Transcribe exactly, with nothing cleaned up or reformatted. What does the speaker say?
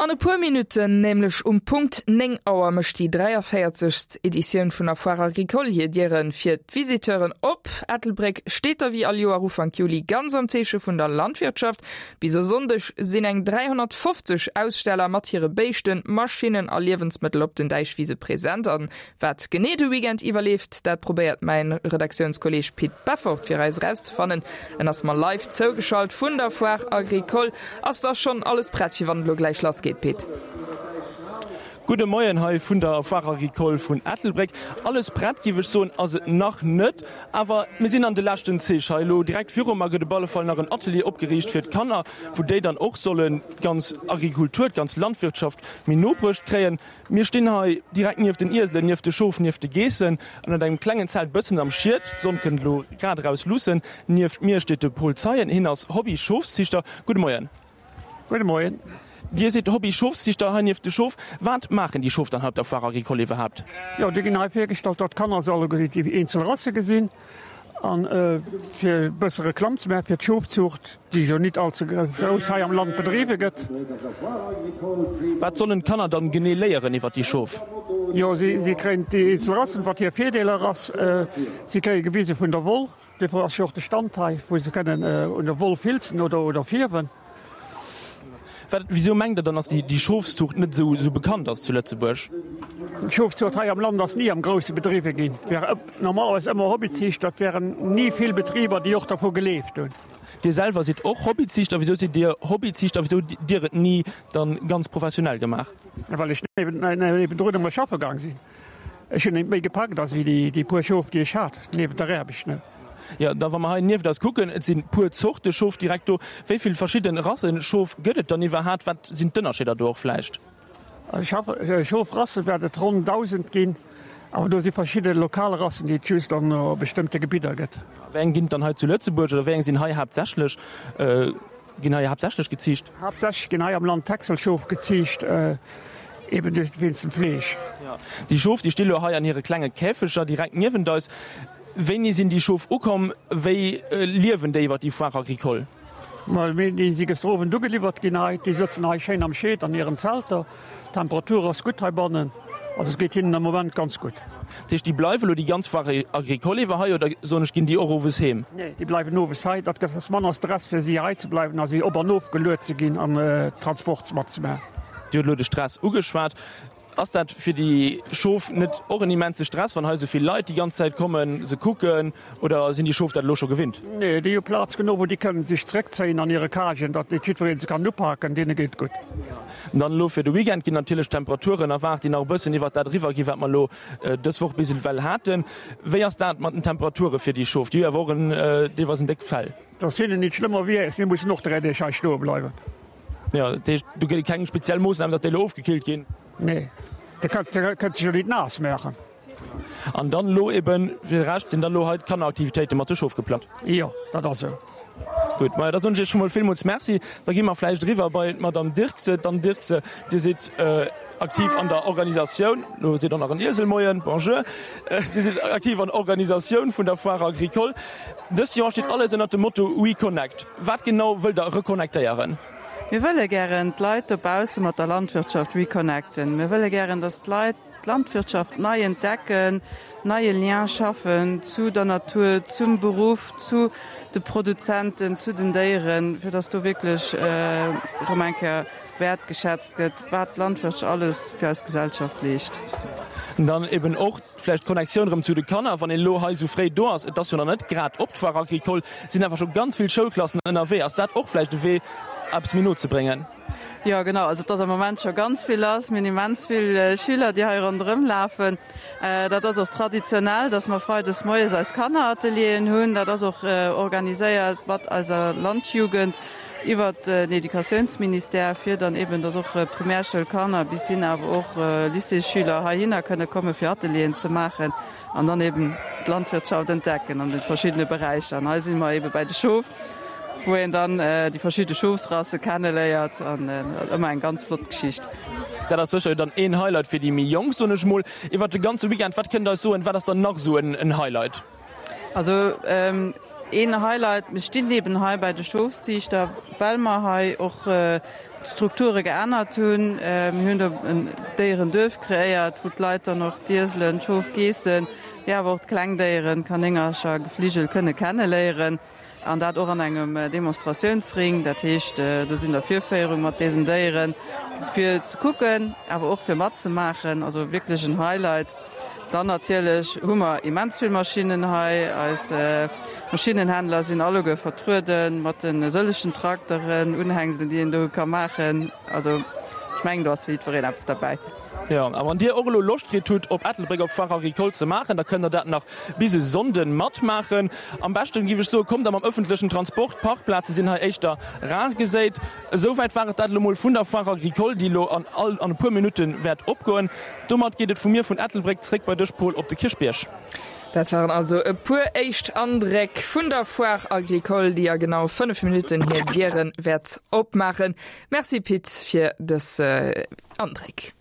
An e puer Minutten, nämlech um Punkt néng Auer, mécht déi dräiavéierzegst Editioun vun der Foire Agricole hir Diere fir d'Visiteuren op. Ettelbréck steet da wéi all Joer Ufank Juli ganz am Zeeche vun der Landwirtschaft. Bis e Sonndeg sinn eng dräihonnertfofzeg Aussteller mat hire Béischten, Maschinnen a Liewensmëttel op den Däichwise present. An wat genee de Weekend iwwer leeft, dat probéiert mäin Redaktiounskolleeg Pit Beffort fir eis erauszefannen. En ass mer live zougeschalt vun der Foire Agricole. Ass da schonn alles prett fir wann et elo gläich lass geet, Pit? Gudde Moien hei vun der Foire Agricole vun Ettelbréck. Alles prett giff ech soen ass et nach net, awer mir sinn an de leschten Zich. Hei elo direkt viru mer gëtt op alle Fall nach en Atelier opgeriicht fir d'Kanner, wou déi dann och sollen d'ganz Agrikultur, d'ganz Landwirtschaft méi no bruecht kréien. Mir stinn hei direkt nieft den Ieselen, nieft de Schof, nieft de Geessen, ënnert engem klengen Zelt, bëssen am Schiet. D'Sonn kënnt elo grad eraus luussen. Nieft mir steet de Paul Zeien, hien ass Hobby-Schofsziichter. Gudde Moien. Gudde Moien. Dir sidd Hobby-Schofsziichter hei nieft de Schof. Wat maachen déi Schof dann hei op der Foire Agricole iwwerhaapt? Jo, déi ginn hei virgestallt, datt d'Kanner se alleguer déi eenzel Rasse gesinn. An fir e bësse Reklamm ze maache fir d'Schofzuucht, déi jo nit all ze grouss hei am Land bedriwwe gëtt. Wat sollen d'Kanner dann genee léieren iwwer déi Schof? Jo, si kréien déi eenzel Rassen, wat hir Virdeeler ass. Si kréie gewise vun der Woll. Duerfir ass jo och de Stand hei, wou se kënnen un der Woll filzen oder fierwen. Wat, wisou mengt Der dann, dass déi Schofszuucht net esou bekannt ass zu Lëtzebuerg? D'Schofzuucht hei am Land ass ni am Grousse bedriwwe ginn. Et ware normalerweis ëmmer Hobbyziichter, et waren ni vill Betriber, déi och dervu geleeft hunn. Dir selwer sidd och Hobbyziichter. Wisou sidd Dir Hobbyziichter? Wisou hutt Dir et ni dann ganz professionell gemaach? Well ech niewendrun ëmmer schaffe gaang sinn. Ech hunn méi gepackt as wéi déi puer Schof déi ech hat, niewent der Aarbecht, ne. Jo, da wa mer hei nieft eis kucken, et sinn puer Zorte Schof direkt do. Wéi vill verschidden Rassen Schof gëtt et dann iwwerhaat? Wat sinn d'Ënnerscheeder do och vläicht? Schofrasse wäert et ronn dausend ginn, awer do si verschidde lokal Rassen déi et just an bestëmmte Gebidder gëtt. Wéi eng ginn et dann hei zu Lëtzebuerg oder wéi eng sinn hei haaptsächlech? Ginn hei haaptsächlech geziicht? Haaptsächlech ginn hei am Land Texelschof geziicht, eben duerch wéinst dem Fleesch. Déi Schof, déi sti lo hei an hire klenge Käfeger direkt niewent eis. Wéini sinn déi Schof ukomm? Wéi liewen déi iwwer déi Foire agricole? Ma déi si gëschter Owend ugeliwwert ginn hei. Déi sëtzen hei schéin am Scheed an hiren Zelter. D'Temperatur ass gutt heibannen. Also et geet hinnen am Moment ganz gutt. Dat heescht, déi bleiwe elo déi ganz Foire agricole iwwer hei oder, soen ech, ginn déi och owes heem? Nee, déi bleiwen owes hei. Dat gëtt ass manner Stress fir si hei ze bleiwen a si op an ofgeluet ze ginn an Transport matzemaachen. Dir hutt elo de Stress ugeschwat. Ass dat fir déi Schof net och en immense Stress, wann hei esou vill Leit déi ganz Zäit kommen, se kucken, oder sinn déi Schof dat elo scho gewinnt? Nee, déi hu Plaz genuch, wou déi kënnen sech zréckzéien an hire Cagen, datt net jiddweree se kann upaken. Deene geet et gutt. Dann elo fir de Weekend ginn natierlech Temperaturen erwaart, déi nach e bëssen iwwert dat eriwwer ginn, wat mer elo dës Woch bis ewell haten. Wéi ass dat mat den Temperature fir déi Schof? Déi hu jo awer och en deelweis en déckt Fell. Et ass hinnen nit schlëmmer wéi äis. Mir mussen och dräi Deeg hei stoe bleiwen. Jo, dat heescht, do gëtt et keng speziell Moossnamen, datt déi elo ofgekillt ginn? Nee, de kënnt sech jo nit naass maachen. An dann elo eben fir de Rescht sinn dann elo hei d'Kanneraktivitéite mat de Schof geplangt? Jo, dat ass esou. Gutt, majo da soen ech Iech scho mol villmools Merci. Da gi mer vläicht eriwwer bei d'Madame Dirkse. D'Anne Dirkse, Dir sidd aktiv an der Organisatioun, elo seet och nach en Iesel Moien, bonjour, Dir sidd aktiv an der Organisatioun vun der Foire Agricole. Dëst Joer steet alles ënnert dem Motto WeConnect. Wat genau wëllt Der reconnectéieren? Mir wëlle gären d'Leit dobausse mat der Landwirtschaft reconnecten. Mir wëlle gären, dass d'Leit d'Landwirtschaft nei entdecken, neie Lien schaffen zu der Natur, zum Beruff, zu de Produzenten, zu den Déieren, fir dass do wierklech erëm eng Kéier wäertgeschätzt gëtt, wat d'Landwirtschaft alles fir eis Gesellschaft leescht. Dann eben och vläicht d'Connectioun erëm zu de Kanner, wann een elo hei esou fréi do ass, et ass jo nach net grad op d'Foire Agricole, sinn awer scho ganz vill Schoulklassen ënnerwee. Ass dat och vläicht e Wee, eppes méi no ze bréngen? Jo, genau. Also et ass am Moment scho ganz vill lass. Mir hunn immens vill Schüler, déi hei ronderëm lafen. Dat ass och traditionell, dass mer freides moies eis Kanneratelieren hunn. Dat ass och organiséiert mat eiser Landjugend iwwert den Educatiounsministère, fir dann eben, dass och Primärschoulkanner bis hin awer och Lycéesschüler heihinner kënne komme fir Atelieren ze maachen an dann eben d'Landwirtschaft entdecken an de verschiddene Beräicher. An hei si mer ebe bäi de Schof, wou een dann déi verschidde Schofsrasse kenneléiert an ëmmer eng ganz flott Geschicht. Dat ass sécher dann een Highlight fir déi méi Jonk, soen ech mol. Iwwert de ganze Weekend, wat kënnt Der eis soen, wat ass dann nach esou en Highlight? Also een Highlight, mir stinn eben hei bei de Schofsziichter, well mer hei och d'Strukture geännert hunn. Mir hunn do en Déierenduerf kreéiert, wou d'Leit dann och d'Ieselen, d'Schof, Geessen, mee awer och d'Klengdéieren, Kanéngercher, Gefligel kënne kenneléieren. An dat och an engem Demonstratiounsring. Dat heescht, do sinn da Virféierung mat deesen Déieren, fir ze kucken, awer och fir matzemaachen. Also wierklech en Highlight. Dann natierlech hu mer immens vill Maschinnen hei. Eis Maschinnenhändler sinn alleguer vertruede mat de sëllegen Trakteren, Unhängselen, déi een do ka maachen. Also ech mengen, do ass fir jiddwereen eppes derbäi. Jo, a wann Dir och elo Loscht kritt hutt, op Ettelbréck op Foire Agricole ze maachen, da kënnt Der dat nach bis e Sonnden matmaachen. Am beschten, géif ech soen, kommt Der mam ëffentlechen Transport, Parkplaze sinn hei éischter rar geséit. Esouwäit war et dat elo mol vun der Foire Agricole, déi elo an all an e puer Minutte wäert opgoen. Domat geet et vu mir vun Ettelbréck zréck bei dech, Paul, op de Kierchbierg. Dat waren also e puer éischt Andréck vun der Foire Agricole, déi a genau fënnef Minutten hir Diere wäert opmaachen. Merci Pit fir dës Andréck.